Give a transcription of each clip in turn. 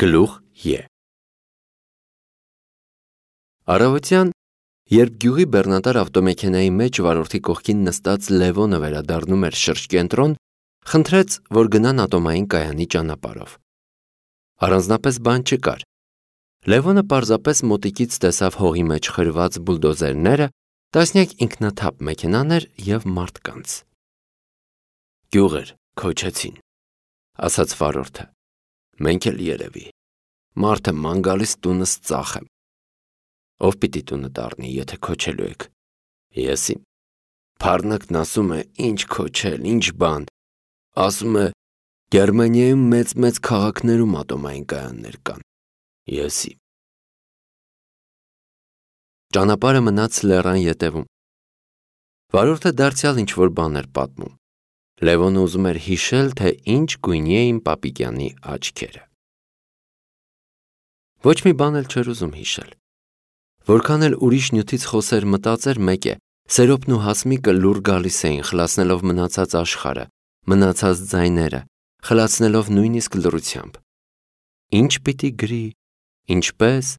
Գլուխ Ե Առավոտյան, երբ գյուղի բեռնատար ավտոմեքենայի մեջ վարորդի կողքին նստած Լևոնը վերադառնում էր շրջկենտրոն, խնդրեց, որ գնան ատոմային կայանի ճանապարհով։ Առանձնապես բան չկար։ Լևոնը պարզապես մոտիկից տեսավ հողի մեջ խրված բուլդոզերները, տասնյակ ինքնաթափ մեքենաներ և մարդկանց։ Գյուղեր քոչեցին, ասաց վարորդը, մենք էլ երևի, մարդը ման գալիս տունս ծախեմ։ Ով պիտի տունը դառնի, եթե քոչելու եք։ Եսի։ Փառնակն ասում է, ինչ քոչել, ինչ բան։ Ասում է, Գերմանիայում մեծ քաղաքներում ատոմային կայաններ կան։ Եսի։ Ճանապարհը մնաց լեռան ետևում։ Վարորդը դարձյալ ինչ-որ բան էր պատմում։ Լևոնը ուզում էր հիշել, թե ինչ գույնի էին Պապիկյանի աչքերը։ Ոչ մի բան էլ չէր ուզում հիշել։ Որքան էլ ուրիշ նյութից խոսեր մտածեր մեկ է, Սերոբն ու Հասմիկը լուռ գալիս էին, խլացնելով մնացած աշխարհը, մնացած ձայները, խլացնելով նույնիսկ լռությամբ։ Ինչ պիտի գրի, ինչպես,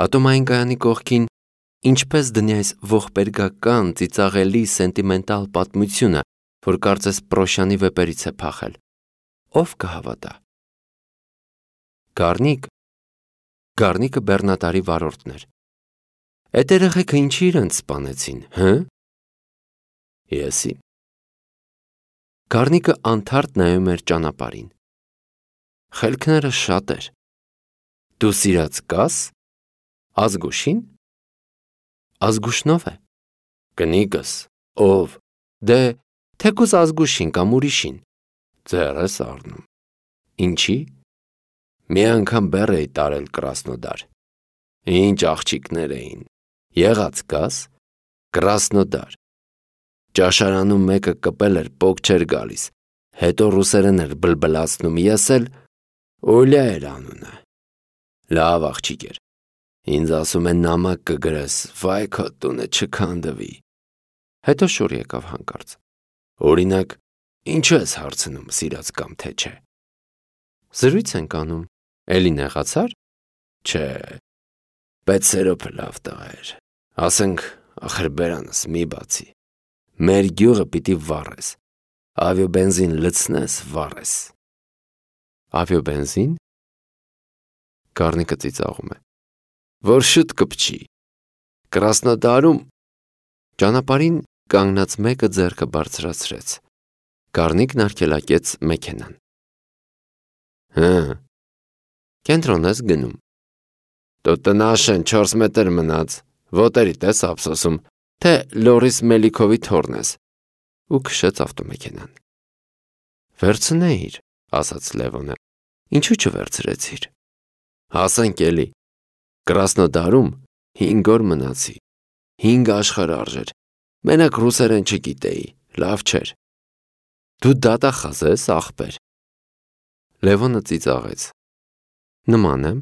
ատոմային կայանի կողքին, ինչպես դնի այս ողբերգական, ծիծաղելի, սենտիմենտալ պատմությունը, որ կարծես Պրոշյանի վեպերից է փախել։ Ով կհավատա։ Գառնիկը բեռնատարի վարորդն էր։ Էդ երեխեքը ինչի իրենց սպանեցին, հը։ Եսի։ Գառնիկը անթարթ նայում էր ճանապարհին։ Խելքները շատ էր։ Դու սիրած կաս։ Ազգուշին։ Ազգուշնով է։ Կնիկս, ով։ Դե, թեկուզ Ազգուշին կամ ուրիշին։ Ձեռ ես առնում։ Ինչի։ Մի անգամ բեռ էի տարել Կրասնոդար։ Ինչ աղջիկներ էին։ Եղած կաս։ Կրասնոդար։ Ճաշարանում մեկը կպել էր, պոկ չէր գալիս, հետո ռուսերեն էր բլբլացնում, ես էլ Օլյա էր անունը։ Լավ աղջիկ էր։ Ինձ ասում է նամակ կգրես, վայ քո տունը չքանդվի։ Հետո շուռ եկավ հանկարծ։ Օրինակ, ինչու ես հարցնում, սիրած կամ թե չէ։ Զրույց ենք անում, էլի նեղացար։ Չէ, բայց Սերոբը լավ տղա էր։ Ասենք, ախր բերանս մի բացի։ Մեր գյուղը պիտի վառես, ավիոբենզին լցնես, վառես։ Ավիոբենզին։ Գառնիկը ծիծաղում է։ Որ շուտ կպչի։ Կրասնոդարում։ Ճանապարհին կանգնած մեկը ձեռքը բարձրացրեց։ Գառնիկն արգելակեց մեքենան։ Հը։ Կենտրոն ես գնում։ Դու տնաշեն 4 մետր մնաց, ոտերիդ ես ափսոսում, թե Լորիս Մելիքովի թոռն ես։ Ու քշեց ավտոմեքենան։ Վերցնեիր, ասաց Լևոնը։ Ինչու չվերցրեցիր։ Հասենք էլի։ Կրասնոդարում 5 օր մնացի։ 5 աշխարհ արժեր։ Մենակ ռուսերեն չգիտեի, լավ չէր։ Դու դատախազ ես, ախպեր։ Լևոնը ծիծաղեց։ Նման եմ։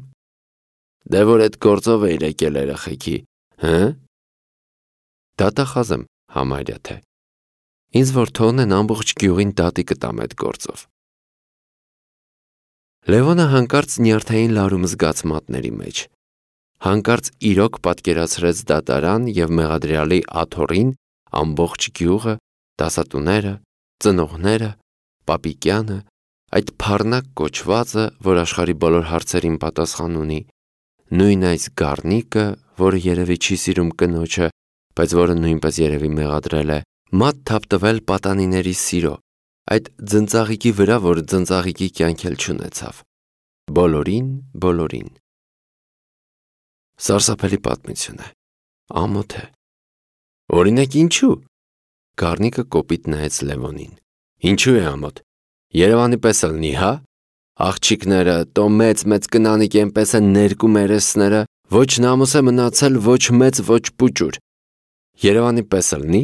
Դե որ այդ գործով էիր եկել երեխեքի, հը։ Դատախազ եմ, համարյա թե։ Ինձ որ թողնեն ամբողջ գյուղին դատի կտամ այդ գործով։ Լևոնը հանկարծ նյարդային լարում զգաց մատների մեջ։ Հանկարծ իրոք պատկերացրեց դատարան և մեղադրյալի աթոռին ամբողջ գյուղը, դասատուները, ծնողները, Պապիկյանը, այդ փառնակ կոչվածը, որ աշխարհի բոլոր հարցերին պատասխան ունի, նույն այս գառնիկը, որը երևի չի սիրում կնոջը, բայց որը նույնպես երևի մեղադրել է, մատ թափտվել պատանիների սիրո, այդ ձնծաղիկի վրա, որ ձնծաղիկի կյանք էլ չունեցավ։ Բոլորին։ Սարսափելի պատմություն է։ Ամոթ է։ Օրինակ ինչու։ Գառնիկը կոպիտ նայեց Լևոնին։ Ինչու է ամոթ։ Երևանի պես ելնի, հա։ Աղջիկները, տո մեծ կնանիկ ենպես են ներկու մերեսները, ոչ նամուս է մնացել, ոչ մեծ, ոչ պուճուր։ Երևանի պես ելնի։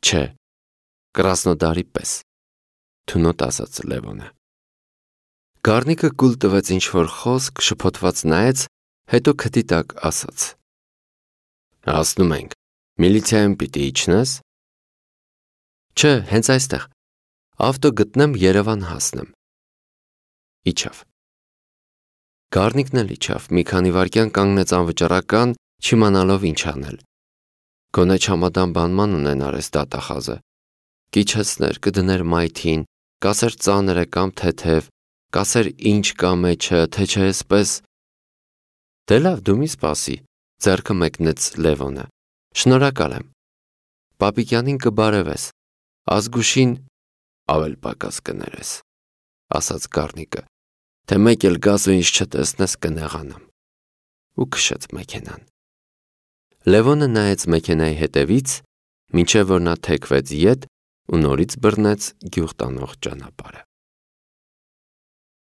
Չէ, Կրասնոդարի պես, թունոտ ասաց Լևոնը։ Գառնիկը կուլ տվեց ինչ-որ խոսք, շփոթված նայեց, հետո քթի տակ ասաց. Հասնում ենք, միլիցիայում պիտի իջնես։ Չէ, հենց այստեղ, ավտո գտնեմ Երևան հասնեմ։ Իջավ։ Գառնիկն էլ իջավ, մի քանի վայրկյան կանգնեց անվճռական, չիմանալով ինչ անել։ Գոնե չամադան բանման ունենար էս դատախազը։ Կիչեցներ, կդներ մայթին, կասեր ծանր է կամ թեթև, կասեր ինչ կա մեջը, թե չէ էսպես։ Դե լավ, դու մի սպասի, ձեռքը մեկնեց Լևոնը։ Շնորհակալ եմ։ Պապիկյանին կբարևես, Ազգուշին ավել պակաս կներես, ասաց Գառնիկը, թե մեկ էլ գաս ու ինձ չտեսնես կնեղանամ։ Ու քշեց մեքենան։ Լևոնը նայեց մեքենայի հետևից, մինչև որ նա թեքվեց ետ ու նորից բռնեց գյուղ տանող ճանապարհը։